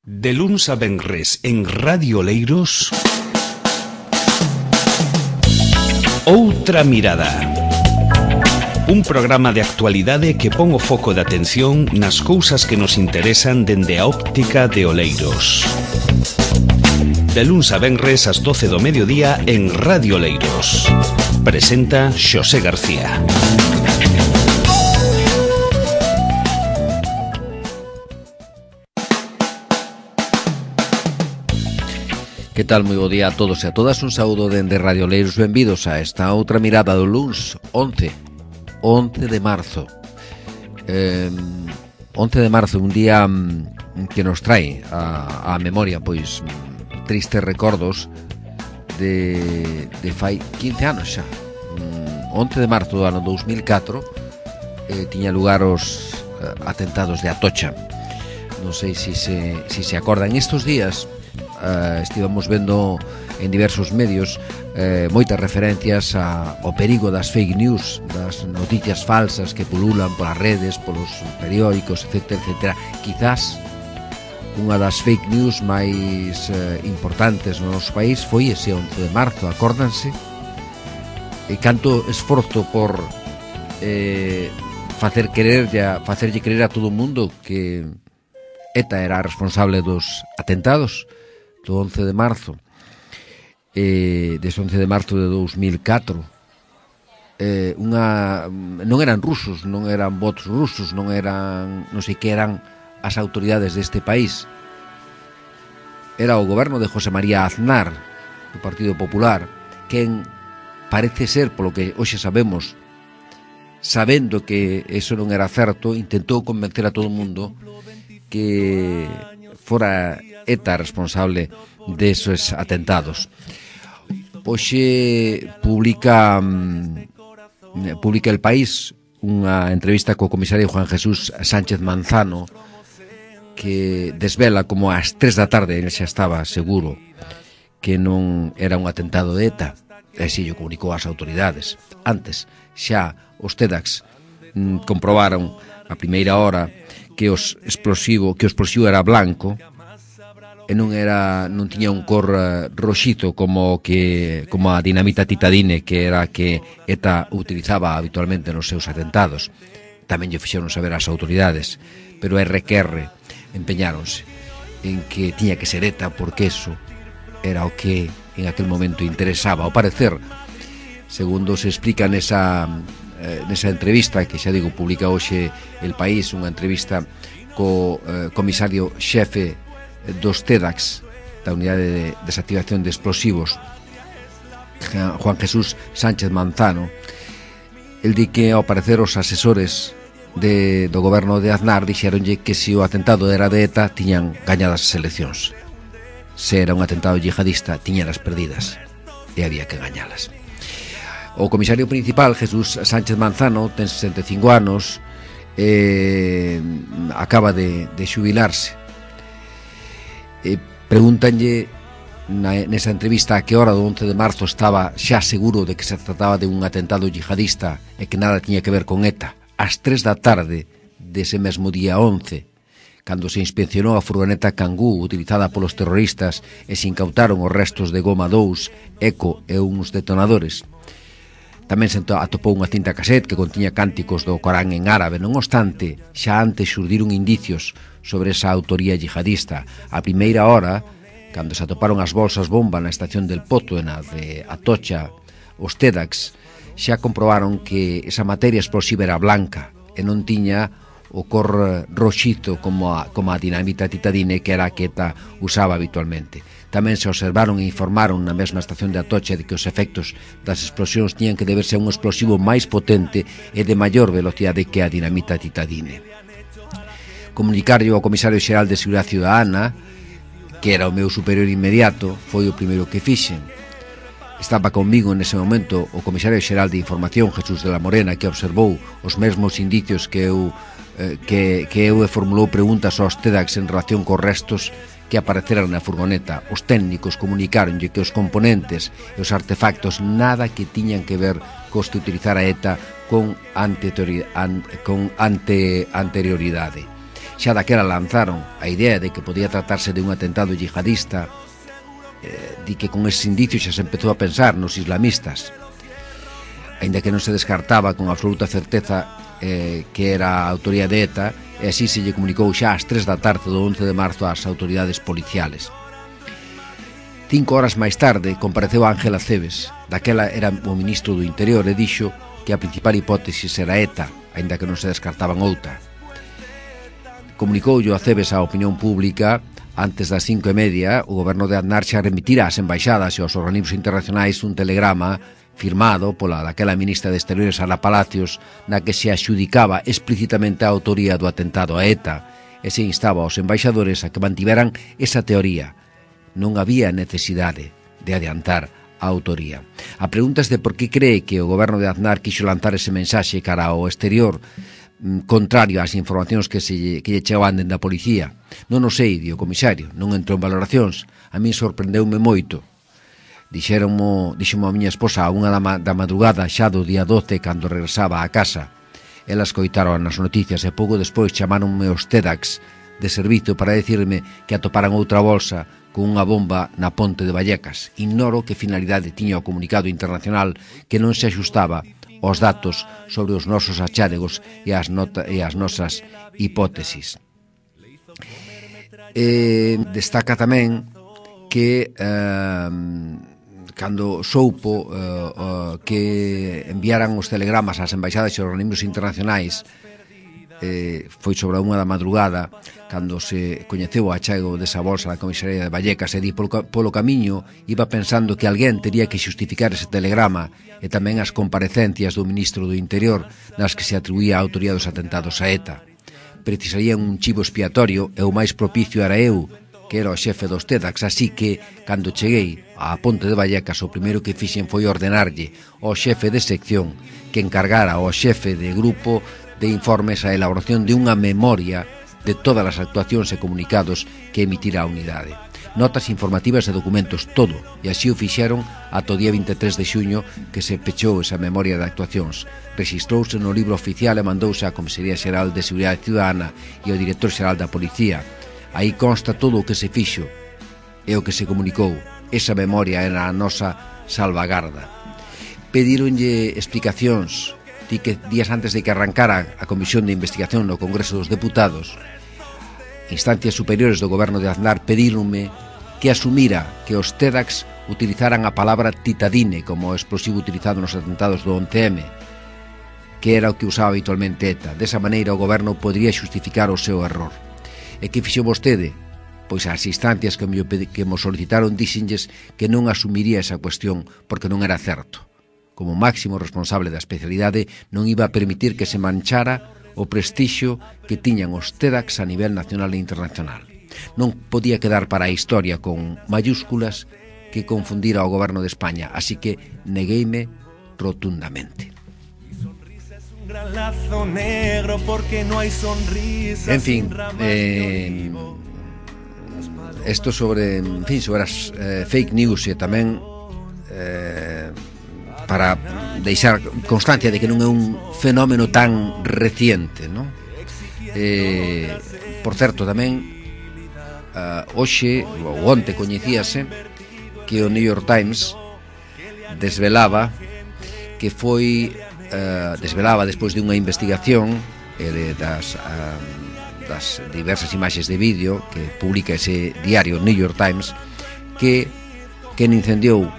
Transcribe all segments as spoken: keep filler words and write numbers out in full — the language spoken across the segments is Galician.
De luns a venres en Radio Oleiros, Outra Mirada. Un programa de actualidade que pon o foco de atención nas cousas que nos interesan dende a óptica de Oleiros. De luns a venres ás doce do mediodía en Radio Oleiros. Presenta Xosé García. Que tal, moi bo día a todos e a todas. Un saúdo dende Radio Oleiros. Benvidos a esta outra mirada do luns once de marzo. eh, once de marzo, un día que nos trae a, a memoria pois tristes recordos de, de fai quince anos xa. once de marzo do ano dous mil catro eh, tiña lugar os eh, atentados de Atocha. Non sei se se, si se acordan estes días. Uh, estivamos vendo en diversos medios eh, moitas referencias a, ao perigo das fake news, das noticias falsas que pululan polas redes, polos periódicos, etcétera, etcétera. Quizás unha das fake news máis eh, importantes no noso país foi ese once de marzo, acórdanse? E canto esforzo por eh, facer querer ya, facerlle creer a todo o mundo que ETA era responsable dos atentados do once de marzo, eh, dese once de marzo de dous mil catro. Eh, unha, non eran rusos, non eran bots rusos, non eran, non sei que eran as autoridades deste país. Era o goberno de José María Aznar, do Partido Popular, quen parece ser, polo que hoxe sabemos, sabendo que eso non era certo, intentou convencer a todo o mundo que fora ETA responsable desos atentados. Hoxe publica publica El País unha entrevista co comisario Juan Jesús Sánchez Manzano, que desvela como ás tres da tarde ele xa estaba seguro que non era un atentado de ETA, e así o comunicou ás autoridades. Antes xa os TEDx mm, comprobaron a primeira hora que os explosivo, que o explosivo era blanco e non era non tiña un cor uh, roxito como que como a dinamita titadine, que era que ETA utilizaba habitualmente nos seus atentados. Tamén lle fixeron saber ás autoridades, pero R Q R empeñáronse en que tiña que ser ETA porque eso era o que en aquel momento interesaba. Ao parecer, segundo se explica nesa eh, nesa entrevista que xa digo publica hoxe El País, unha entrevista co eh, comisario xefe dos TEDx, da Unidade de Desactivación de Explosivos, Juan Jesús Sánchez Manzano. El di que ao parecer os asesores de, do goberno de Aznar dixeronlle que se o atentado era de ETA tiñan gañadas as eleccións, se era un atentado yihadista tiñalas perdidas e había que gañalas. O comisario principal, Jesús Sánchez Manzano, ten sesenta e cinco anos, eh, acaba de, de xubilarse. Eh, pregúntanlle na, nesa entrevista a que hora do once de marzo estaba xa seguro de que se trataba de un atentado yihadista e que nada tiña que ver con ETA. Ás tres da tarde dese mesmo día once, cando se inspeccionou a furgoneta Kangoo utilizada polos terroristas e se incautaron os restos de goma dous, eco e uns detonadores. Tamén se atopou unha cinta cassette que contiña cánticos do Corán en árabe. Non obstante, xa antes xurdiron indicios sobre esa autoría yihadista. A primeira hora, cando se atoparon as bolsas bomba na estación del Poto, na de Atocha, os TEDx xa comprobaron que esa materia explosiva era blanca e non tiña o cor roxito como a, como a dinamita titadine, que era a que ETA usaba habitualmente. Tamén se observaron e informaron na mesma estación de Atocha de que os efectos das explosións tiñan que deberse a un explosivo máis potente e de maior velocidade que a dinamita titadine. Comunicario ao comisario xeral de Seguridade Ciudadana, que era o meu superior inmediato, foi o primeiro que fixen. Estaba conmigo nese momento o comisario xeral de Información, Jesús de la Morena, que observou os mesmos indicios que eu eh, que, que eu e formulou preguntas aos TEDx en relación cos restos que apareceran na furgoneta. Os técnicos comunicaronlle que os componentes e os artefactos nada que tiñan que ver cos que utilizara ETA con, ante, con ante, anterioridade. xa daquela lanzaron a idea de que podía tratarse de un atentado yihadista, eh, di que con ese indicio xa se empezou a pensar nos islamistas, aínda que non se descartaba con absoluta certeza eh, que era a autoría de ETA, e así se lle comunicou xa ás tres da tarde do once de marzo ás autoridades policiales. Cinco horas máis tarde compareceu Ángel Acebes, daquela era o ministro do Interior, e dixo que a principal hipótesis era ETA, aínda que non se descartaban outra. Comunicoulle Acebes á opinión pública antes das cinco e media. O goberno de Aznar xa remitira ás embaixadas e aos organismos internacionais un telegrama firmado pola daquela ministra de Exteriores, Ana Palacios, na que se adxudicaba explícitamente a autoría do atentado a ETA e se instaba aos embaixadores a que mantiveran esa teoría. Non había necesidade de adiantar a autoría. A pregunta é de por que cree que o goberno de Aznar quixo lanzar ese mensaxe cara ao exterior, contrario ás informacións que, se, que lle chegaban dende a policía. Non o sei, di o comisario, non entrou en valoracións. A mí sorprendeume moito. Dixéronmo, dixemo a miña esposa a unha da, ma, da madrugada xa do día doce, cando regresaba a casa. Elas coitaron nas noticias e pouco despois chamaronme os TEDx de servizo para decirme que atoparan outra bolsa con unha bomba na ponte de Vallecas. Ignoro que finalidade tiña o comunicado internacional, que non se axustaba aos datos sobre os nosos achádegos e as, nota, e as nosas hipótesis. E destaca tamén que eh, cando soupo eh, eh, que enviaran os telegramas ás embaixadas e aos organismos internacionais, eh, foi sobre a unha da madrugada cando se coñeceu o achego desa bolsa na comisaría de Vallecas, e di polo, polo camiño iba pensando que alguén tería que xustificar ese telegrama e tamén as comparecencias do ministro do Interior nas que se atribuía a autoría dos atentados a ETA. Precisarían un chivo expiatorio e o máis propicio era eu, que era o xefe dos TEDx, así que, cando cheguei á ponte de Vallecas, o primeiro que fixen foi ordenarlle ao xefe de sección que encargara ao xefe de grupo de informes a elaboración de unha memoria de todas as actuacións e comunicados que emitira a unidade. Notas informativas e documentos, todo, e así o fixeron ata o día vinte e tres de xuño, que se pechou esa memoria de actuacións. Rexistrouse no libro oficial e mandouse á Comisaría Xeral de Seguridade Ciudadana e ao Director Xeral da Policía. Aí consta todo o que se fixo e o que se comunicou. Esa memoria era a nosa salvagarda. Pedíronlle explicacións. Di que días antes de que arrancara a Comisión de Investigación no Congreso dos Deputados, instancias superiores do goberno de Aznar pedíronme que asumira que os TEDx utilizaran a palabra titadine como explosivo utilizado nos atentados do once eme, que era o que usaba habitualmente ETA. Desa maneira o goberno podría xustificar o seu error. E que fixo vostede? Pois as instancias que me, que me solicitaron dixenlles que non asumiría esa cuestión porque non era certo. Como máximo responsable da especialidade, non iba a permitir que se manchara o prestixio que tiñan os TEDx a nivel nacional e internacional. Non podía quedar para a historia con mayúsculas que confundira ao goberno de España, así que negueime rotundamente. En fin, eh, esto sobre, en fin, sobre as eh, fake news e tamén eh, para deixar constancia de que non é un fenómeno tan reciente, non? Eh, por certo, tamén uh, hoxe, ou onte coñecíase que o New York Times desvelaba que foi uh, desvelaba despois de unha investigación eh, de, das, uh, das diversas imaxes de vídeo que publica ese diario New York Times, que quen incendiou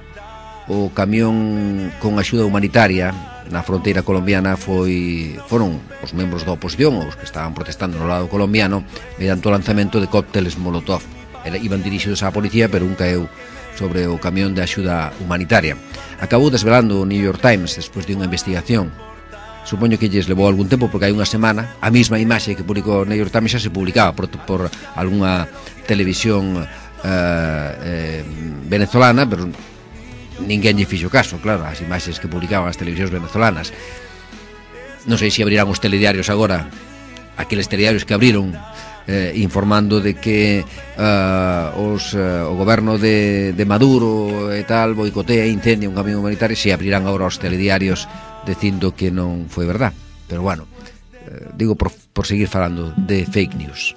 o camión con axuda humanitaria na fronteira colombiana foi foron os membros da oposición, os que estaban protestando no lado colombiano, mediante o lanzamento de cócteles Molotov. Era, iban dirixidos á policía, pero un caeu sobre o camión de axuda humanitaria. Acabou desvelando o New York Times despois de unha investigación. Supoño que lles levou algún tempo, porque hai unha semana a mesma imaxe que publicou o New York Times xa se publicaba por, por algunha televisión eh, eh, venezolana, pero ninguén lle fixo caso, claro, as imaxes que publicaban as televisións venezolanas. Non sei se abrirán os telediarios agora, aqueles telediarios que abriron eh, informando de que uh, os, uh, o goberno de, de Maduro e tal boicotea e incendia un camión humanitario, se abrirán agora os telediarios dicindo que non foi verdad. Pero bueno, eh, digo por, por seguir falando de fake news.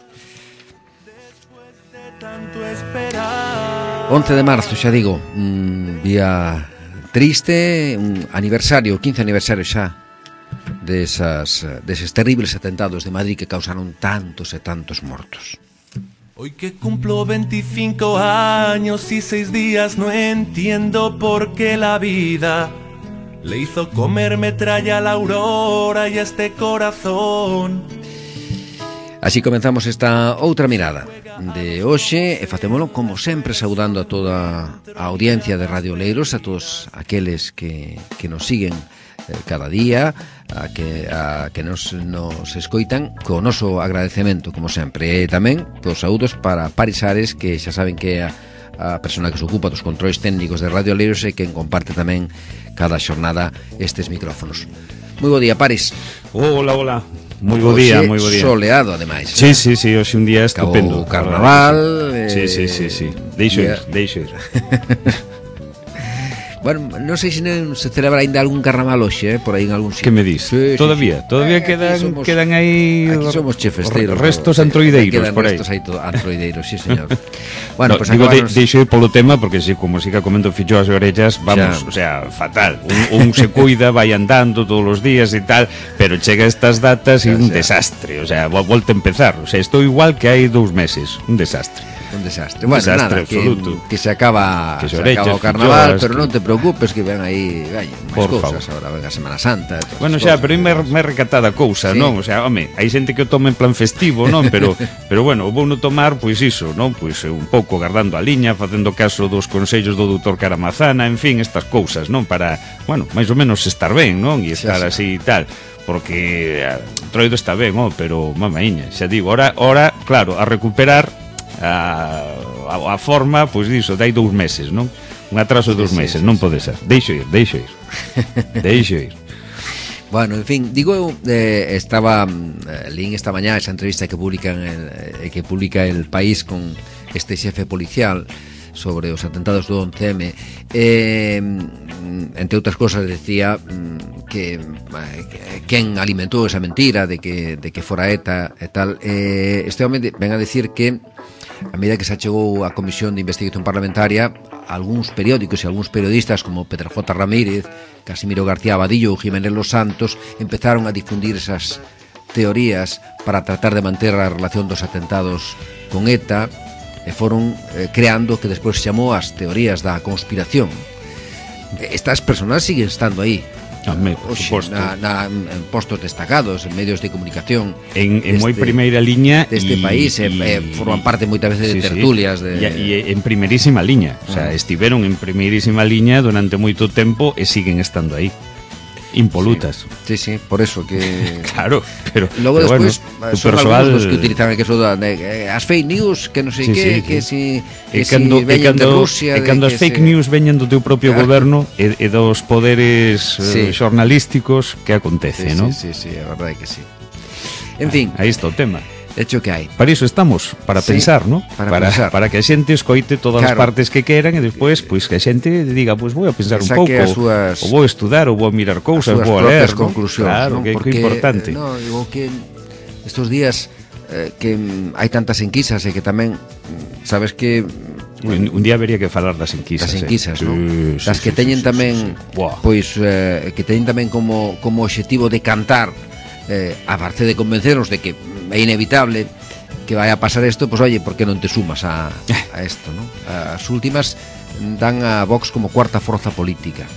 once de marzo, xa digo, un día triste, un aniversario, quince aniversario xa desas, deses terribles atentados de Madrid que causaron tantos e tantos mortos. Hoy que cumplo veinticinco años y seis días no entiendo por qué la vida le hizo comer metralla a la aurora y a este corazón. Así comenzamos esta outra mirada de hoxe e facémolo como sempre saudando a toda a audiencia de Radio Oleiros, a todos aqueles que, que nos siguen eh, cada día, a que, a que nos, nos escoitan co noso agradecemento como sempre, e tamén cos saúdos para Paris Ares, que xa saben que é a, a persona que se ocupa dos controis técnicos de Radio Oleiros e quen comparte tamén cada xornada estes micrófonos. Moi bo día, Paris. Hola, hola. Moi bo día, moi bo día. Soleado, ademais. Sí, sí, sí, hoxe un día estupendo. Acabou o carnaval. Eh, sí, sí, sí, sí. Deixo ir, deixo ir. Bueno, non sei se non se celebra ainda algún carnaval hoxe, eh, por aí en algún sitio. Que me dis? Sí, todavía, sí, todavía eh, quedan somos, quedan aí aquí somos chefesteiros, restos no, antroideiros por aí. Restos aí todo antroideiros, sí, señor. Bueno, no, pues digo, acabanos... de, deixo ir polo tema porque si como siga comendo fichou as orellas, vamos, o sea, fatal. Un, un se cuida, vai andando todos os días e tal, pero chega estas datas e un sea, desastre, o sea, volta a empezar, o sea, estou igual que hai dous meses, un desastre. Un desastre. Bueno, un desastre nada, absoluto. Que, que se acaba, que se, se orechas, acaba o carnaval, pero que... non te preocupes que ven aí, vai, máis cousas, agora ven a Semana Santa. Bueno, xa, pero é máis recatada cousa, sí. Non? O sea, home, hai xente que o toma en plan festivo, non? Pero pero bueno, vou non tomar, pois iso, non? Pois un pouco guardando a liña, facendo caso dos consellos do doutor Caramazana, en fin, estas cousas, non? Para, bueno, máis ou menos estar ben, non? E estar sí, así e tal. Porque Troido está ben, oh, pero mamaíña, xa digo, ora, ora, claro, a recuperar A, a, a forma, pois diso, dai dous meses, non? Un atraso de dous sí, meses, sí, non sí, pode ser. Deixo ir, deixo ir. Deixo ir. Bueno, en fin, digo eu, eh, estaba eh, lín esta mañá esa entrevista que publican el, eh, que publica El País con este xefe policial sobre os atentados do once eme, eh, entre outras cosas decía que eh, quen alimentou esa mentira de que, de que fora ETA e tal, eh, este home ven a decir que a medida que se achegou a Comisión de Investigación Parlamentaria, algúns periódicos e algúns periodistas como Pedro J. Ramírez, Casimiro García Abadillo ou Jiménez Los Santos empezaron a difundir esas teorías para tratar de manter a relación dos atentados con ETA e foron eh, creando que despois se chamou as teorías da conspiración. Estas personas siguen estando aí, Tamén, por Oxe, suposto. na, na, en postos destacados, en medios de comunicación en, en moi primeira liña deste y, país, y, eh, forman parte moitas veces sí, de tertulias sí. de... E, e en primeirísima liña, o sea, ah. estiveron en primeirísima liña durante moito tempo e siguen estando aí impolutas. Sí, sí, sí, por eso que... Claro, pero logo pero despois bueno, son persoal... algunos que utilizan que eso da, de, as fake news, que non sei sí, que, sí, que si que cando, si veñen de Rusia, e cando as fake se... news veñen do teu propio claro. goberno e, e dos poderes sí. eh, xornalísticos, que acontece, sí, non? Sí, sí, sí, a verdade que sí. En fin, aí está o tema. De hecho que hai. Para iso estamos, para sí, pensar, ¿no? Para, para, pensar. para que a xente escoite todas claro. as partes que queran e despois, pois, que a xente diga, pois, vou a pensar un pouco, súas, ou vou a estudar, ou vou a mirar cousas, vou a ler, ¿no? Claro, ¿no? Que, porque, que importante. No, digo que estos días eh, que hai tantas enquisas e que tamén, sabes que... Un, un día habería que falar das enquisas, das enquisas, eh. ¿no? Sí, das sí, que sí, teñen sí, tamén, sí, sí. Wow. Pois, eh, que teñen tamén como, como objetivo de cantar, eh, a parte de convencernos de que é inevitable que vai a pasar isto, pois oye, por que non te sumas a, a isto, ¿no? As últimas dan a Vox como cuarta forza política.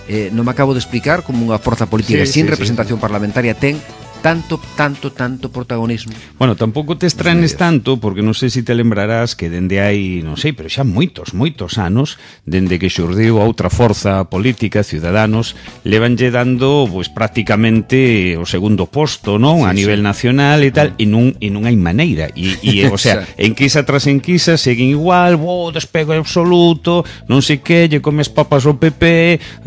Eh, non me acabo de explicar como unha forza política sí, sin sí, representación sí. parlamentaria ten tanto, tanto, tanto protagonismo. Bueno, tampouco te estranes tanto, porque non sei se te lembrarás que dende hai, non sei, pero xa moitos, moitos anos, dende que xurdiu a outra forza política, Ciudadanos, levanlle dando, pois, prácticamente o segundo posto, non? Sí, a nivel sí. nacional e tal, e non, e non hai maneira. E, e o sea, enquisa tras enquisa seguen igual, bo, despego absoluto, non sei que, lle comes papas ao P P,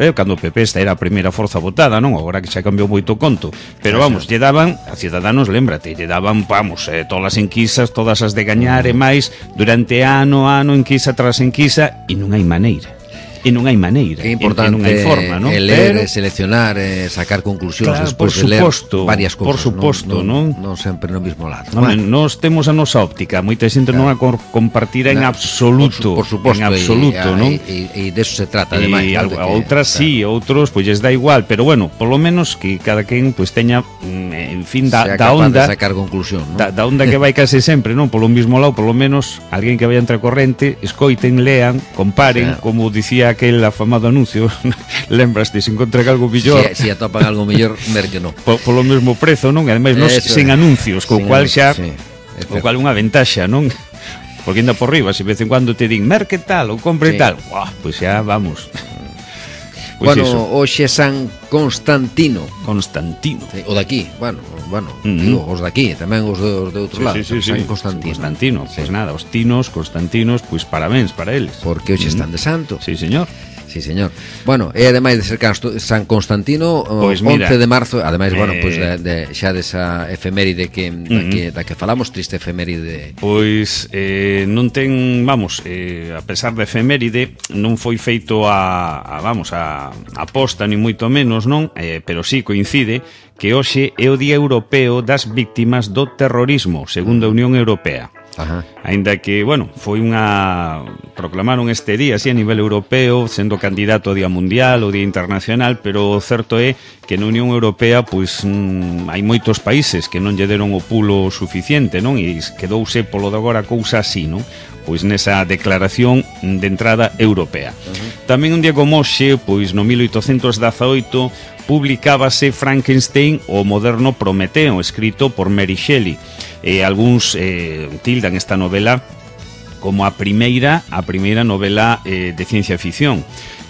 eh, cando o P P esta era a primeira forza votada, non? Agora que xa cambiou moito conto. Pero vamos, lle daban, a Ciudadanos, lémbrate, lle daban, vamos, eh, todas as enquisas, todas as de gañar e máis, durante ano, ano, enquisa tras enquisa, e non hai maneira. e non hai maneira, que é importante, e non hai forma, non? É ler, Pero, seleccionar, eh, sacar conclusións, claro, despois por de ler suposto, varias cousas, por suposto, non, non? non, non sempre no mismo lado. Home, Bueno, nós temos a nosa óptica, moita xente non a cor- compartirá en na- absoluto, por, su, por suposto, en absoluto, e, non? E, e, e deso se trata, E ademais, non? algo- De que- outras claro, sí, outros pois lles dá igual, pero bueno, polo menos que cada quen pois teña, mm, en fin, da, sea da capaz onda de sacar conclusión, non? da, da onda que vai case sempre, non? Polo mismo lado, polo menos alguén que vai entre a corrente, escoiten, lean, comparen, O sea, como dicía aquel afamado anuncio, lembraste, se encontran algo millor, Si, si atopan algo mellor, merque non. po, polo mesmo prezo, non? E ademais nos Eso sen é. anuncios, co Sin cual anuncios, xa sí, é o certo. cual unha ventaxa, non? Porque anda por riba, se de vez en cuando te din merque tal ou compre Sí. tal, buah, pois xa vamos. Pois Bueno, iso, hoxe San Constantino, Constantino. sí, o daqui, bueno, bueno, Uh -huh. digo, os daqui, tamén os de, os de outro lado, San Constantino. Constantino, Sí. pois nada, os tinos, Constantinos, pois parabéns para eles. Porque hoxe están de santo. Sí, señor. Sí, señor. Bueno, e ademais de ser Casto- San Constantino, o Pois mira, once de marzo, ademais, bueno, eh, pois de, de, xa desa efeméride que, da, Uh-huh. que, da que falamos, triste efeméride. Pois eh, non ten, vamos, eh, a pesar da efeméride, non foi feito a, a vamos, a, a posta, ni moito menos, non? Eh, pero sí coincide que hoxe é o Día Europeo das Víctimas do Terrorismo, segundo a Unión Europea. Ajá. Aínda que, bueno, foi unha... proclamaron este día así a nivel europeo, sendo candidato ao Día Mundial ou Día Internacional, pero o certo é que na Unión Europea pois mm, hai moitos países que non lle deron o pulo suficiente, non? E quedouse polo de agora a cousa así, non? Pois nesa declaración de entrada europea. Uh-huh. Tamén un día como hoxe, pois no mil oitocentos dezaoito, publicábase Frankenstein, o moderno Prometeo, escrito por Mary Shelley. E algúns eh, tildan esta novela como a primeira a primeira novela eh, de ciencia ficción.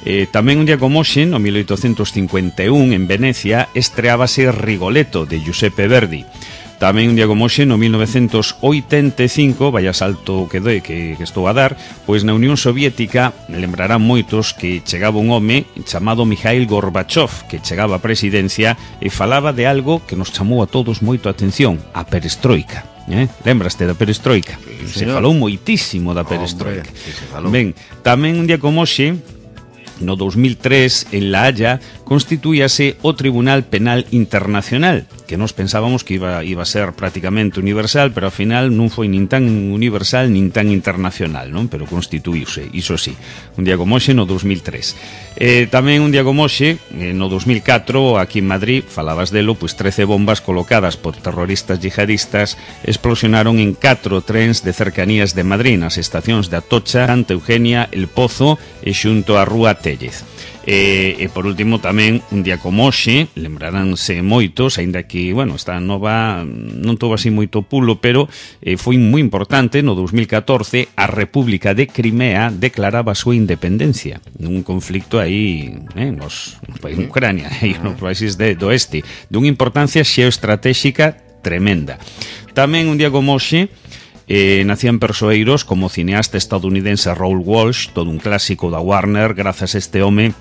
Eh, tamén un día como hoxe, no mil oitocentos cincuenta e un, en Venecia, estreábase Rigoletto, de Giuseppe Verdi. Tamén un día como hoxe, no mil novecentos oitenta e cinco, vaya salto que doe que, que estou a dar, pois na Unión Soviética lembrarán moitos que chegaba un home chamado Mikhail Gorbachev, que chegaba á presidencia e falaba de algo que nos chamou a todos moito a atención, a perestroika. Eh? Lembraste da perestroika? Sí, se señor. falou moitísimo da perestroika. Hombre, sí, se falou. Ben, tamén un día como hoxe, no dos mil tres, en La Haya, constituíase o Tribunal Penal Internacional, que nos pensábamos que iba, iba a ser prácticamente universal, pero ao final non foi nin tan universal nin tan internacional, non? Pero constituíuse, iso sí, un día como hoxe no dos mil tres. Eh, tamén un día como hoxe, eh, no dos mil catro, aquí en Madrid, falabas delo, pois trece bombas colocadas por terroristas yihadistas explosionaron en catro trens de cercanías de Madrid, nas estacións de Atocha, Santa Eugenia, El Pozo e xunto á Rúa Téllez. E, e por último tamén un día como hoxe, lembraránse moitos, aínda que, bueno, esta nova non tuvo así moito pulo, pero eh, foi moi importante. No dos mil catorce a República de Crimea declaraba a súa independencia nun conflicto aí eh, nos, en Ucrania, aí nos países de, do oeste, dunha importancia xeoestratéxica tremenda. Tamén un día como hoxe Eh, nacían persoeiros como o cineasta estadounidense Raoul Walsh, todo un clásico da Warner. Grazas a este home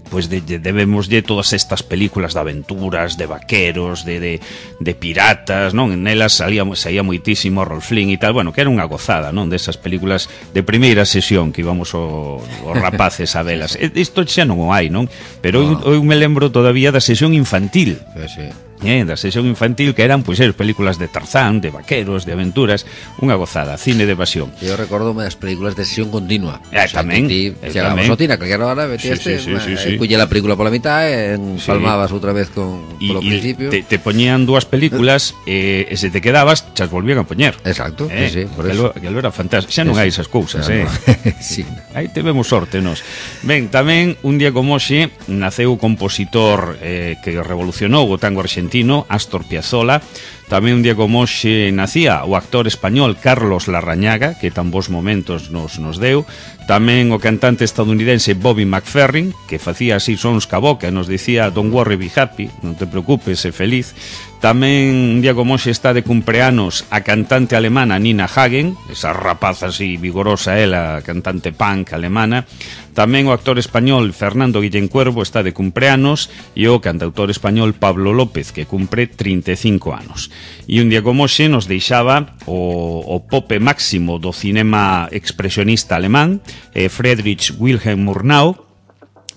pois de, de, debemoslle todas estas películas de aventuras, de vaqueros, de, de, de piratas, non? En elas salía, salía moitísimo Rolf Flynn e tal, bueno, que era unha gozada, non? Desas películas de primeira sesión que íbamos o, os rapaces a velas. Isto xa non o hai, non? Pero no. eu, eu me lembro todavía da sesión infantil. Sí, sí. Eh, da sesión infantil, que eran pois pues, películas de Tarzán, de vaqueros, de aventuras, unha gozada, cine de evasión. Eu recordo das películas de sesión continua. Eh, o sea, tamén, ti, eh, chegabas tamén. ao cine a calquera hora, Sí, metías sí, sí, sí, sí. culle la película pola mitad e empalmabas Sí. outra vez con Y, polo y principio. te, te poñían dúas películas eh, e se te quedabas, chas volvían a poñer. Exacto, Eh, sí, sí, por aquelo, eso. aquelo era fantástico. Xa non Eso. hai esas cousas, eh. Ya, no. Sí. Aí tivemos sorte nos. Ben, tamén un día como hoxe naceu o compositor eh, que revolucionou o tango argentino, Astor Piazzolla. Tamén un día como hoxe nacía o actor español Carlos Larrañaga, que tan bons momentos nos, nos deu. Tamén o cantante estadounidense Bobby McFerrin, que facía así sons ca boca e nos dicía "Don't worry, be happy", non te preocupes, sé feliz. Tamén un día como hoxe está de cumpleanos a cantante alemana Nina Hagen, esa rapaza así vigorosa ela, cantante punk alemana. Tamén o actor español Fernando Guillén Cuervo está de cumpleanos e o cantautor español Pablo López, que cumpre trinta e cinco anos. E un día como hoxe nos deixaba o, o pope máximo do cinema expresionista alemán, eh, Friedrich Wilhelm Murnau,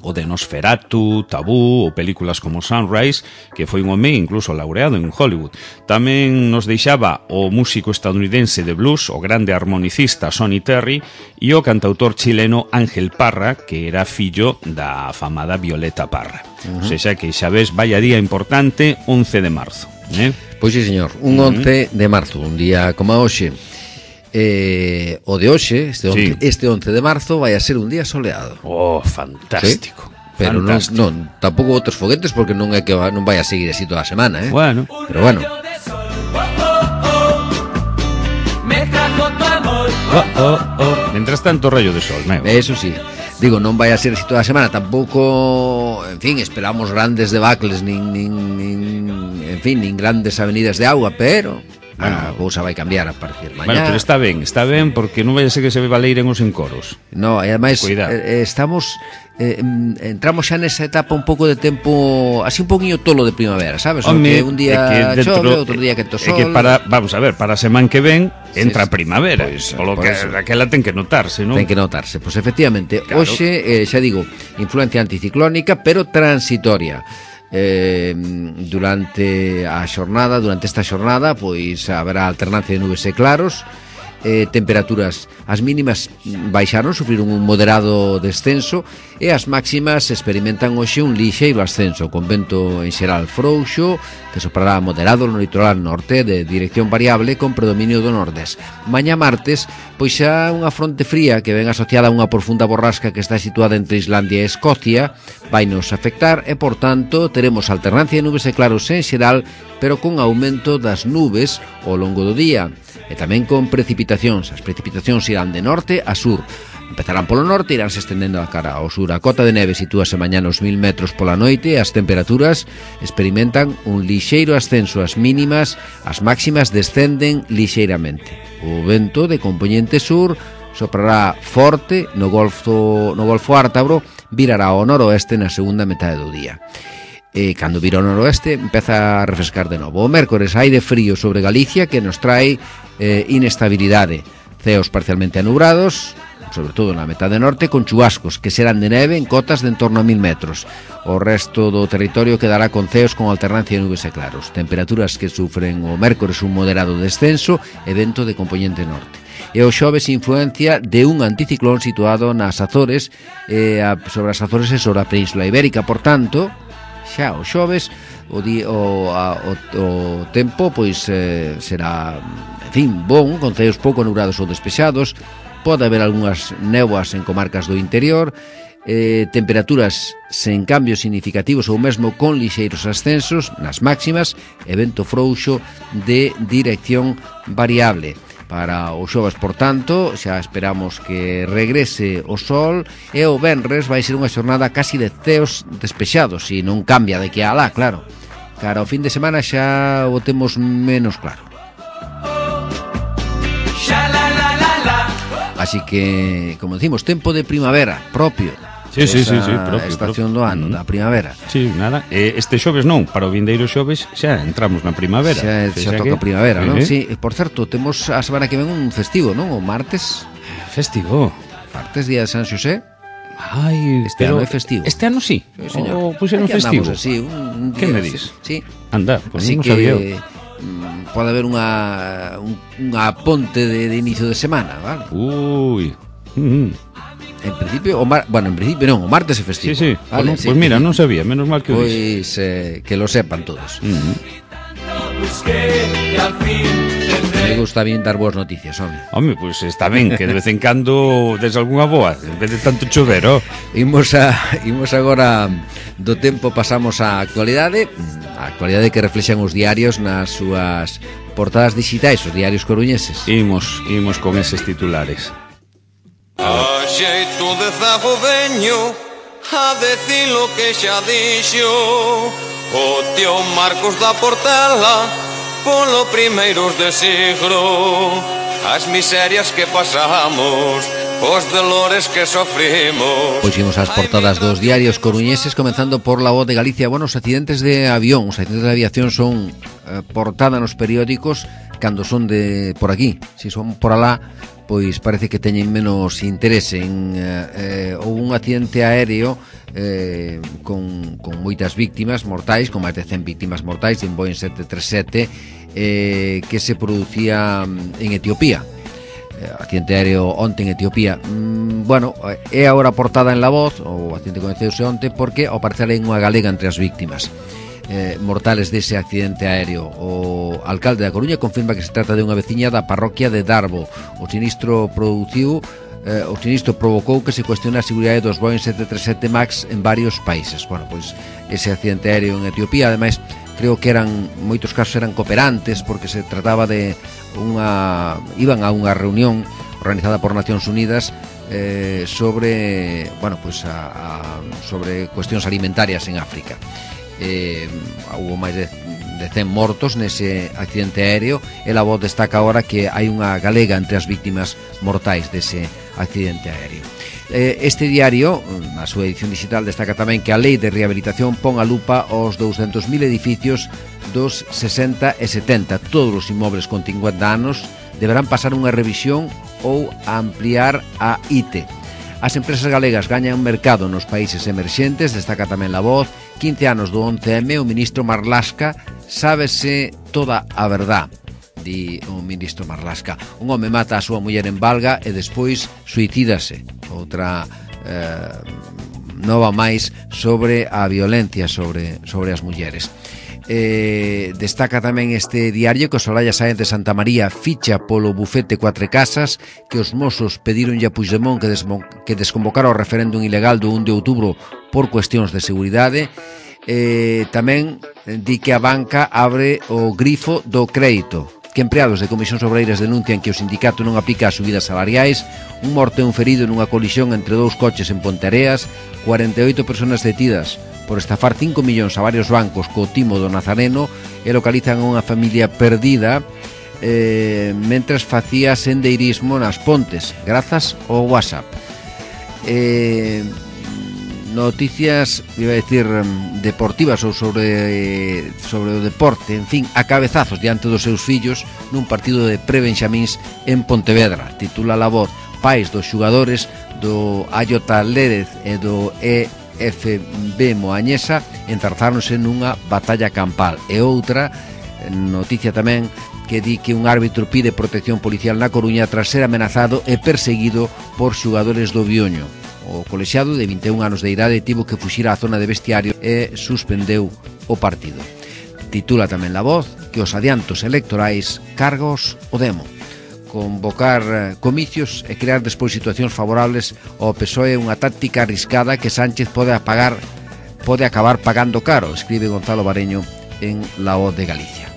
o de Nosferatu, Tabú ou películas como Sunrise, que foi un home incluso laureado en Hollywood. Tamén nos deixaba o músico estadounidense de blues, o grande armonicista Sonny Terry, e o cantautor chileno Ángel Parra, que era fillo da afamada Violeta Parra. Uh-huh. O sea que xa ves, vaya día importante, once de marzo. Eh? Pois sí, señor, un once de marzo, un día como hoxe. Eh, o de hoxe, este once, sí. este once de marzo vai a ser un día soleado. Oh, fantástico. ¿Sí? Pero fantástico. non, non, tampouco outros foguetes porque non é que va, non vai a seguir así toda a semana, eh? Bueno. Pero bueno. Oh, oh, oh. Mientras tanto, rayo de sol, meu. Eso sí. Digo, non vai a ser así toda a semana. Tampouco, en fin, esperamos grandes debacles nin, nin, nin en fin, nin grandes avenidas de agua, pero a cousa vai cambiar a partir de mañá. Bueno, pero está ben, está ben, porque non vai a ser que se valeiren os encoros. No, e ademais eh, estamos eh, entramos xa nesa etapa un pouco de tempo así un poquinho tolo de primavera, sabes? Home, que un día que chove, outro día que to sol. É que para, vamos a ver, para a semana que ven entra a sí, primavera, pues, polo por que eso. aquela ten que notarse, non? Ten que notarse, pois pues, efectivamente, claro. Hoxe, eh, xa digo, influencia anticiclónica, pero transitoria. Eh, durante a xornada, durante esta xornada, pois haberá alternancia de nubes e claros. Eh, temperaturas, as mínimas baixaron, sufriron un moderado descenso e as máximas experimentan hoxe un lixeiro ascenso, con vento en xeral frouxo que soprará moderado no litoral norte de dirección variable con predominio do nordés. Mañá martes, pois xa unha fronte fría que ven asociada a unha profunda borrasca que está situada entre Islandia e Escocia vai nos afectar e, por tanto, teremos alternancia de nubes e claros en xeral, pero con aumento das nubes ao longo do día e tamén con precipitacións. As precipitacións irán de norte a sur. Empezarán polo norte e iránse estendendo a cara ao sur. A cota de neve sitúase mañá nos mil metros pola noite e as temperaturas experimentan un lixeiro ascenso. As mínimas, as máximas descenden lixeiramente. O vento de compoñente sur soprará forte no Golfo, no Golfo Ártabro, virará ao noroeste na segunda metade do día. E cando vira ao noroeste empeza a refrescar de novo. O mércores aire frío sobre Galicia que nos trae eh, inestabilidade. Ceos parcialmente anubrados, sobre todo na metade norte, con chubascos que serán de neve en cotas de en torno a mil metros. O resto do territorio quedará con ceos con alternancia de nubes e claros. Temperaturas que sufren o mércores un moderado descenso e vento de compoñente norte. E o xoves influencia de un anticiclón situado nas Azores, eh, sobre as Azores e sobre a Península Ibérica. Por tanto, xa o xoves o, di, o, a, o, o tempo pois eh, será, en fin, bon, con ceos pouco nubrados ou despexados. Pode haber algunhas néboas en comarcas do interior, eh, temperaturas sen cambios significativos ou mesmo con lixeiros ascensos nas máximas e vento frouxo de dirección variable. Para o xoves, por tanto, xa esperamos que regrese o sol e o venres vai ser unha xornada casi de ceos despexados, e non cambia de que a lá, claro. Cara, o fin de semana xa o temos menos claro. Así que, como decimos, tempo de primavera propio. Sí, sí, sí, sí, propio, estación propio. do ano, da primavera. Sí, nada, este xoves non, para o vindeiro xoves xa entramos na primavera. Xa, xa toca que... primavera, non? Sí, por certo, temos a semana que ven un festivo, non? O martes. Festivo? Martes, día de San Xosé. Ai, este ano é festivo. Este ano sí? Sí, señor. O puxeron festivo? Así, un, un que me dis? Sí. Anda, pois pues non que... sabía. Pode haber unha un, unha ponte de, de inicio de semana, vale? Ui. Mm. En principio, o mar, bueno, en principio non, o martes é festivo. Sí, sí. Vale, pues, sí. Pues mira, non sabía, menos mal que o Pois eh, que lo sepan todos. Mm. Me gusta bien dar boas noticias, home. Home, pois pues está ben que de vez en cando des algunha boa, en vez de tanto chover, oh. Imos a imos agora do tempo, pasamos á actualidade, a actualidade que reflexan os diarios nas súas portadas digitais, os diarios coruñeses. Imos, imos con eses titulares. A xeito de zago veño a decir lo que xa dixo o tío Marcos da Portela polo primeiros de siglo. As miserias que pasamos os dolores que sofrimos. Pois imos ás portadas dos diarios coruñeses, comenzando por La Voz de Galicia. Bueno, os accidentes de avión, os accidentes de aviación son eh, portada nos periódicos cando son de por aquí. Se son por alá, pois parece que teñen menos interese en eh, eh, un accidente aéreo eh, con, con moitas víctimas mortais, con máis de cen víctimas mortais, de un Boeing sete tres sete eh, que se producía en Etiopía. Accidente aéreo onte en Etiopía. mm, Bueno, é agora portada en La Voz. O accidente coñeceuse onte porque ao parecer hai unha galega entre as víctimas eh, mortales dese accidente aéreo. O alcalde da Coruña confirma que se trata de unha veciña da parroquia de Darbo. O sinistro produciu eh, O sinistro provocou que se cuestione a seguridade dos Boeing sete tres sete Max en varios países. Bueno, pois ese accidente aéreo en Etiopía, ademais, creo que eran, moitos casos eran cooperantes, porque se trataba de unha, iban a unha reunión organizada por Nacións Unidas eh, sobre, bueno, pues a, a, sobre cuestións alimentarias en África. Eh, hubo máis de, de cen mortos nese accidente aéreo, e La Voz destaca agora que hai unha galega entre as víctimas mortais dese accidente aéreo. Este diario, na súa edición digital, destaca tamén que a Lei de Rehabilitación pon a lupa aos douscentos mil edificios dos sesenta e setenta. Todos os inmobles con cincuenta anos deberán pasar unha revisión ou ampliar a I T E. As empresas galegas gañan mercado nos países emerxentes, destaca tamén La Voz. quince anos do once eme, o ministro Marlaska sábese toda a verdad, di o ministro Marlaska. Un home mata a súa muller en Valga e despois suicídase. Outra eh, nova máis sobre a violencia sobre, sobre as mulleres. Eh, destaca tamén este diario que o Soraya Sáenz de Santa María ficha polo bufete Cuatro Casas, que os mozos pedironlle a Puigdemont que, desmo, que desconvocara o referéndum ilegal do un de outubro por cuestións de seguridade. Eh, tamén di que a banca abre o grifo do crédito, que empregados de comisións obreiras denuncian que o sindicato non aplica as subidas salariais. Un morto e un ferido nunha colisión entre dous coches en Ponteareas. cuarenta e oito persoas detidas por estafar cinco millóns a varios bancos co timo do Nazareno, e localizan a unha familia perdida eh, mentras facía sendeirismo nas Pontes grazas ao WhatsApp. eh, Noticias, iba a decir, deportivas ou sobre sobre o deporte, en fin, a cabezazos diante dos seus fillos nun partido de pre-benxamíns en Pontevedra. Titula La Voz: pais dos xugadores do Ayota Lérez e do E F B Moañesa enzarzáronse nunha batalla campal. E outra noticia tamén que di que un árbitro pide protección policial na Coruña tras ser amenazado e perseguido por xugadores do Bioño. O colexiado de vinte e un anos de idade tivo que fuxir á zona de vestiario e suspendeu o partido. Titula tamén La Voz que os adiantos electorais cargos o demo. Convocar comicios e crear despois situacións favorables ao P S O E é unha táctica arriscada que Sánchez pode apagar, pode acabar pagando caro, escribe Gonzalo Bareño en La Voz de Galicia.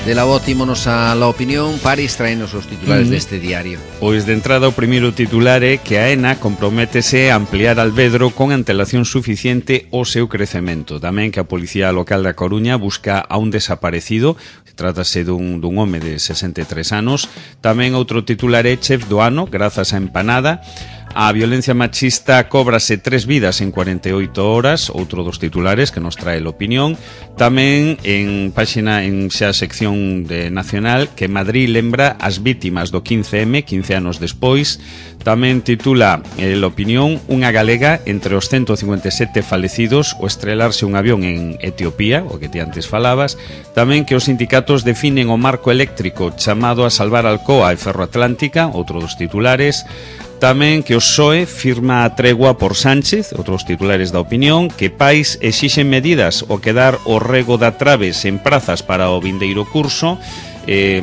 De La Voz ímonos a La Opinión. Paris, traenos os titulares mm. deste diario. Pois de entrada o primeiro titular é que a ENA comprométese a ampliar Alvedro con antelación suficiente o seu crecemento. Tamén que a Policía Local da Coruña busca a un desaparecido. Trátase dun, dun home de sesenta e tres anos. Tamén outro titular é chef do ano grazas a empanada. A violencia machista cóbrase tres vidas en cuarenta e oito horas, outro dos titulares que nos trae a Opinión. Tamén en páxina, en xa sección de Nacional, que Madrid lembra as vítimas do quince eme, quince anos despois. Tamén titula a Opinión: unha galega entre os ciento cincuenta e sete falecidos o estrelarse un avión en Etiopía, o que ti antes falabas. Tamén que os sindicatos definen o marco eléctrico chamado a salvar Alcoa e Ferroatlántica, outro dos titulares. Tamén que o P S O E firma a tregua por Sánchez, outros titulares da Opinión. Que pais exixen medidas o quedar o rego da Traves en prazas para o vindeiro curso, eh,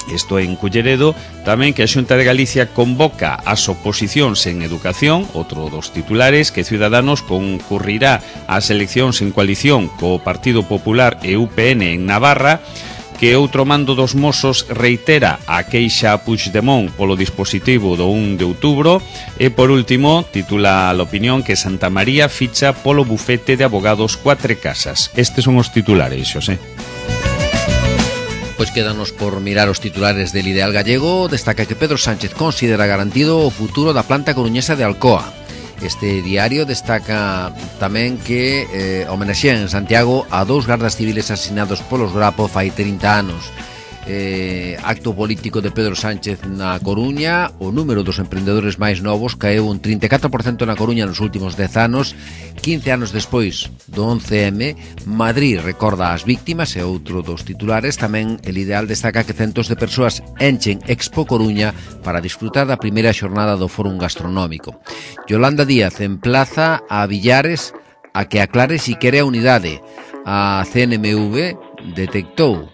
isto en Culleredo. Tamén que a Xunta de Galicia convoca as oposicións en educación, outro dos titulares. Que Ciudadanos concurrirá ás eleccións en coalición co Partido Popular e U P N en Navarra. que outro mando dos Mossos reitera a queixa a Puigdemont polo dispositivo do un de outubro e, por último, titula a opinión que Santa María ficha polo bufete de abogados Cuatro Casas. Estes son os titulares, Xosé. Pois quédanos por mirar os titulares del Ideal Gallego. Destaca que Pedro Sánchez considera garantido o futuro da planta coruñesa de Alcoa. Este diario destaca tamén que eh, homenexean en Santiago a dous gardas civiles asesinados polos Grapo fai trinta anos. Eh, acto político de Pedro Sánchez na Coruña. O número dos emprendedores máis novos caeu un trinta e catro por cento na Coruña nos últimos dez anos. quince anos despois do once eme, Madrid recorda as víctimas e outro dos titulares. Tamén el Ideal destaca que centos de persoas enchen Expo Coruña para disfrutar da primeira xornada do Fórum Gastronómico. Yolanda Díaz emplaza a Villares a que aclare si quere a unidade. A C N M V detectou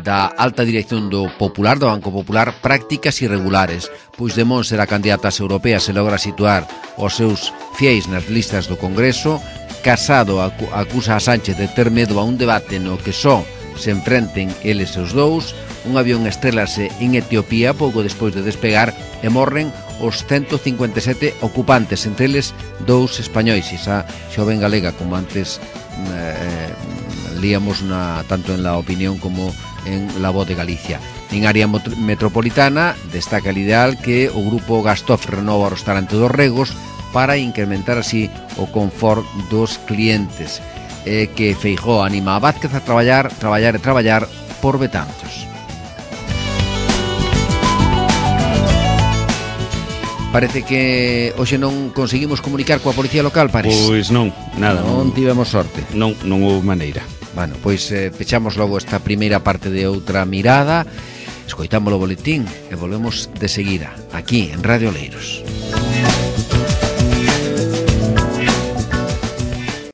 da alta dirección do Popular, do Banco Popular, prácticas irregulares. Puigdemont será candidata ás europeas e logra situar os seus fiéis nas listas do Congreso. Casado acusa a Sánchez de ter medo a un debate no que só se enfrenten eles os dous. Un avión estrélase en Etiopía pouco despois de despegar e morren os ciento cincuenta e sete ocupantes, entre eles dous españois. Esa xoven galega, como antes eh, líamos na, tanto en La Opinión como en La Voz de Galicia. En área metropolitana destaca el Ideal que o grupo Gastof renova o restaurante dos Regos para incrementar así o confort dos clientes, e que Feijóo anima a Vázquez a traballar, traballar e traballar por Betanzos. Parece que hoxe non conseguimos comunicar coa policía local, parece. Pois non, nada. Non, non tivemos sorte. Non, non houve maneira. Bueno, pois eh, pechamos logo esta primeira parte de Outra Mirada. Escoitamos o boletín e volvemos de seguida aquí en Radio Oleiros.